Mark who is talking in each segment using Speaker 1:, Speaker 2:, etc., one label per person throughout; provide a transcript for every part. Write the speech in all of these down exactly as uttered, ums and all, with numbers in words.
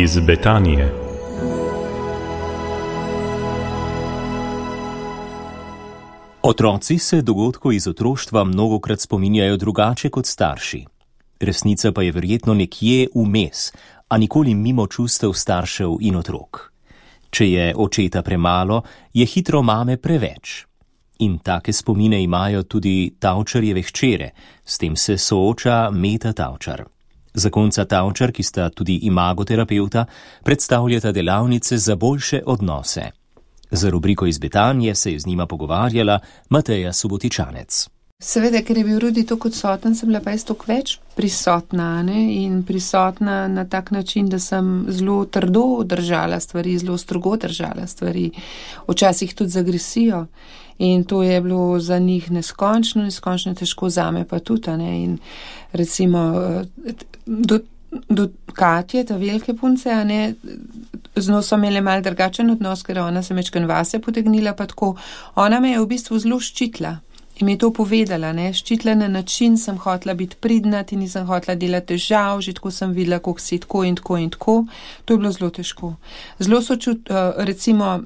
Speaker 1: Iz Betanije.
Speaker 2: Otroci se dogodkov iz otroštva mnogokrat spominjajo drugače kot starši. Resnica pa je verjetno nekje vmes, a nikoli mimo čustev staršev in otrok. Če je očeta premalo, je hitro mame preveč. In take spomine imajo tudi Tavčarjeve hčere, s tem se sooča Meta Tavčar. Zakonca Tavčar, ki sta tudi imagoterapeuta, predstavljata delavnice za boljše odnose. Za rubriko Iz Betanije se je z njima pogovarjala Mateja Subotičanec.
Speaker 3: Seveda, ker je bil Rudi toliko odsoten, sem bila pa jaz toliko več prisotna, ne? In prisotna na tak način, da sem zelo trdo držala stvari, zelo strogo držala stvari, včasih tudi z agresijo. In to je bilo za njih neskončno, neskončno težko, zame pa tudi, ne? In recimo do, do Katje, ta velike punce, a ne, z njo so imeli mal drugačen odnos, ker ona se mečken vase potegnila, pa tako. Ona me je v bistvu zelo ščitila. In mi je to povedala, ne, ščitila na način, sem hotela biti pridna, ti nisem hotela delati težav, že tako sem videla, koliko si tako in tako in tako. To je bilo zelo težko. Zelo so čut, recimo,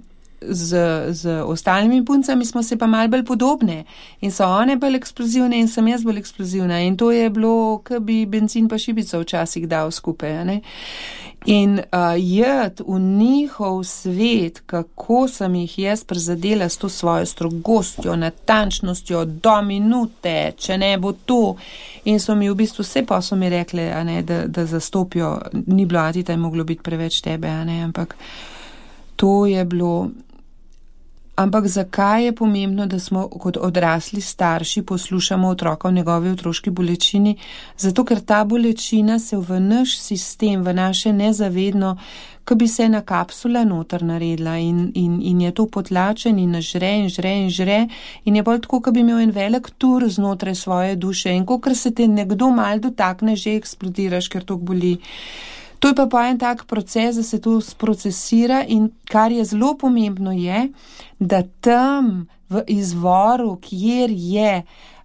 Speaker 3: z, z ostalimi puncami smo se pa malo bolj podobne. In so one bolj eksplozivne in sem jaz bolj eksplozivna. In to je bilo, ko bi benzin pa šibico včasih dal skupaj, ne. In uh, jed v njihov svet, kako sem jih jaz prizadela s to svojo strogostjo, natančnostjo, do minute, če ne bo to. In so mi v bistvu vse pa so mi rekli, a ne, da, da zastopijo, ni bilo atita, je moglo biti preveč tebe, a ne, ampak to je bilo. Ampak zakaj je pomembno, da smo kot odrasli starši poslušamo otroka v njegovi otroški bolečini? Zato, ker ta bolečina se v naš sistem, v naše nezavedno, ko bi se ena kapsula noter naredila in, in, in je to potlačen in žre in žre in žre in je bolj tako, ko bi imel en velik tur znotraj svoje duše in kokor se te nekdo mal dotakne, že eksplodiraš, ker to boli. To je pa pa en tak proces, da se to sprocesira in kar je zelo pomembno je, da tam v izvoru, kjer je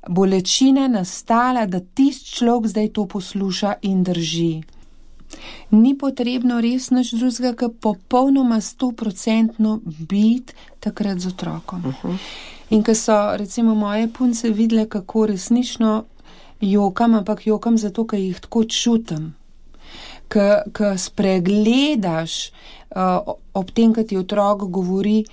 Speaker 3: bolečina nastala, da tisti človek zdaj to posluša in drži. Ni potrebno res nič drugega, kot popolnoma stoprocentno biti takrat z otrokom. Uh-huh. In ko so recimo moje punce videle, kako resnično jokam, ampak jokam zato, ker jih tako čutim. Ko spregledaš uh, ob tem, ko ti otrok govori,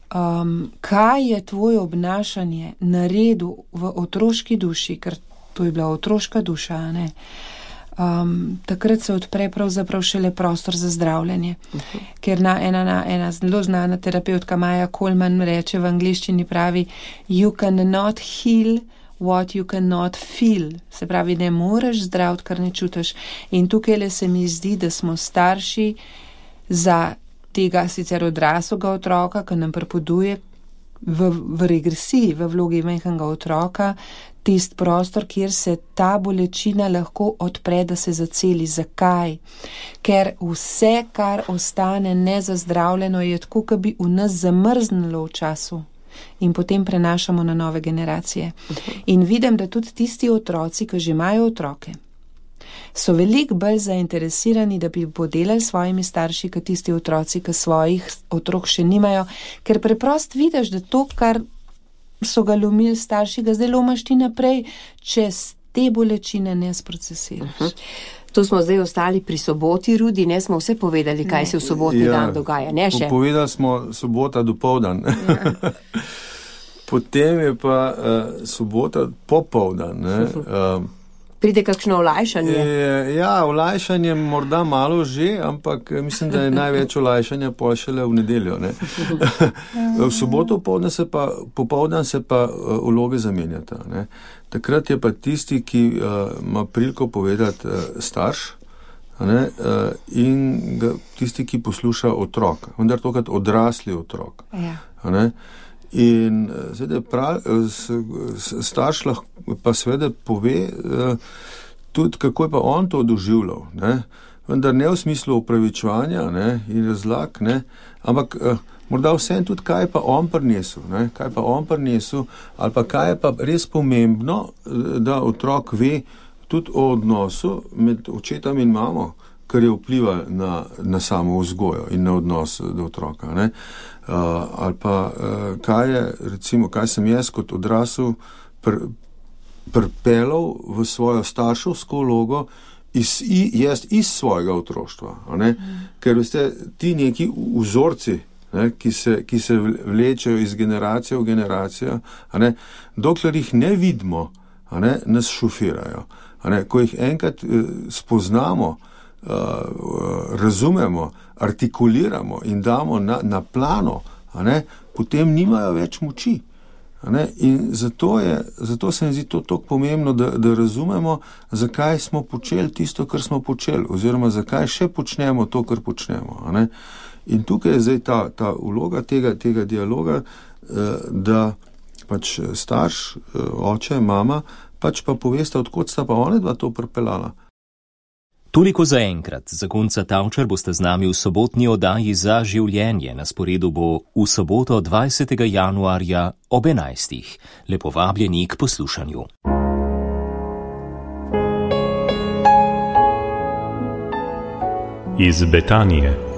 Speaker 3: um, kaj je tvoje obnašanje naredil v otroški duši, ker to je bila otroška duša, ne? Um, takrat se odpre pravzaprav šele prostor za zdravljenje. Uh-huh. Ker na, ena, na, ena zelo znana terapeutka Maja Coleman reče v angleščini, pravi, you cannot heal what you cannot feel. Se pravi, ne moreš zdraviti, kar ne čutiš. In tukaj le se mi zdi, da smo starši za tega sicer odraslega otroka, ki nam prepoduje v, v regresiji, v vlogi majhnega otroka, tist prostor, kjer se ta bolečina lahko odpre, da se zaceli. Zakaj? Ker vse, kar ostane nezazdravljeno, je tako, kot bi v nas zamrznilo v času. In potem prenašamo na nove generacije. In vidim, da tudi tisti otroci, ki že imajo otroke, so veliko bolj zainteresirani, da bi podelali s svojimi starši, kot tisti otroci, ki svojih otrok še nimajo, ker preprosto vidiš, da to, kar so ga lomili starši, ga zdaj lomaš ti naprej, če te bolečine ne sprocesiraš. Uh-huh.
Speaker 4: Tu smo zdaj ostali pri soboti, Rudi, ne smo vse povedali, kaj ne. Se v sobotni ja, dan dogaja, ne še?
Speaker 5: Povedali smo sobota dopoldan. Ja. Potem je pa uh, sobota popoldan. Ne? Uh,
Speaker 4: Pride kakšno olajšanje?
Speaker 5: Je, ja, olajšanje morda malo že, ampak mislim, da je največ olajšanja pol šele v nedeljo. Ne? V soboto popoldan se pa, popoldan se pa uh, vloge zamenjata. Ne? Takrat je pa tisti, ki uh, ima priliko povedati uh, starš, ne, uh, in ga, tisti, ki posluša otrok, vendar tokrat odrasli otrok. Ja. Ne? In seveda prav, starš lahko pa seveda pove uh, tudi, kako je pa on to doživljal, ne? Vendar ne v smislu opravičevanja, ne, in razlag, ne, ampak uh, morda vsem tudi, kaj je pa on prinesel, ne, kaj pa on prinesel, ali pa kaj je pa res pomembno, da otrok ve tudi o odnosu med očetom in mamo, kar je vpliva na, na samo vzgojo in na odnos do otroka. Ne? Uh, ali pa uh, kaj je, recimo, kaj sem jaz kot odrasel pr, prpelal v svojo starševsko vlogo iz, jaz iz svojega otroštva. Mm. Ker veste, ti neki vzorci, ne, ki, se, ki se vlečejo iz generacije v generacijo, a ne, dokler jih ne vidimo, a ne, nas šofirajo. A ne, ko jih enkrat eh, spoznamo, Uh, razumemo, artikuliramo in damo na, na plano, a ne, potem nimajo več moči. A ne, in zato, je, zato se mi zdi to tako pomembno, da, da razumemo, zakaj smo počeli tisto, kar smo počeli, oziroma zakaj še počnemo to, kar počnemo. A ne. In tukaj je zdaj ta, ta vloga tega, tega dialoga, uh, da pač starš, uh, oče, mama, pač pa povesta, odkot sta pa one dva to pripeljala.
Speaker 2: Toliko za enkrat. Zakonca Tavčar boste z nami v sobotni oddaji Za življenje. Na sporedu bo v soboto dvajsetega januarja ob enajstih. Lepo vabljeni k poslušanju.
Speaker 1: Iz Betanije.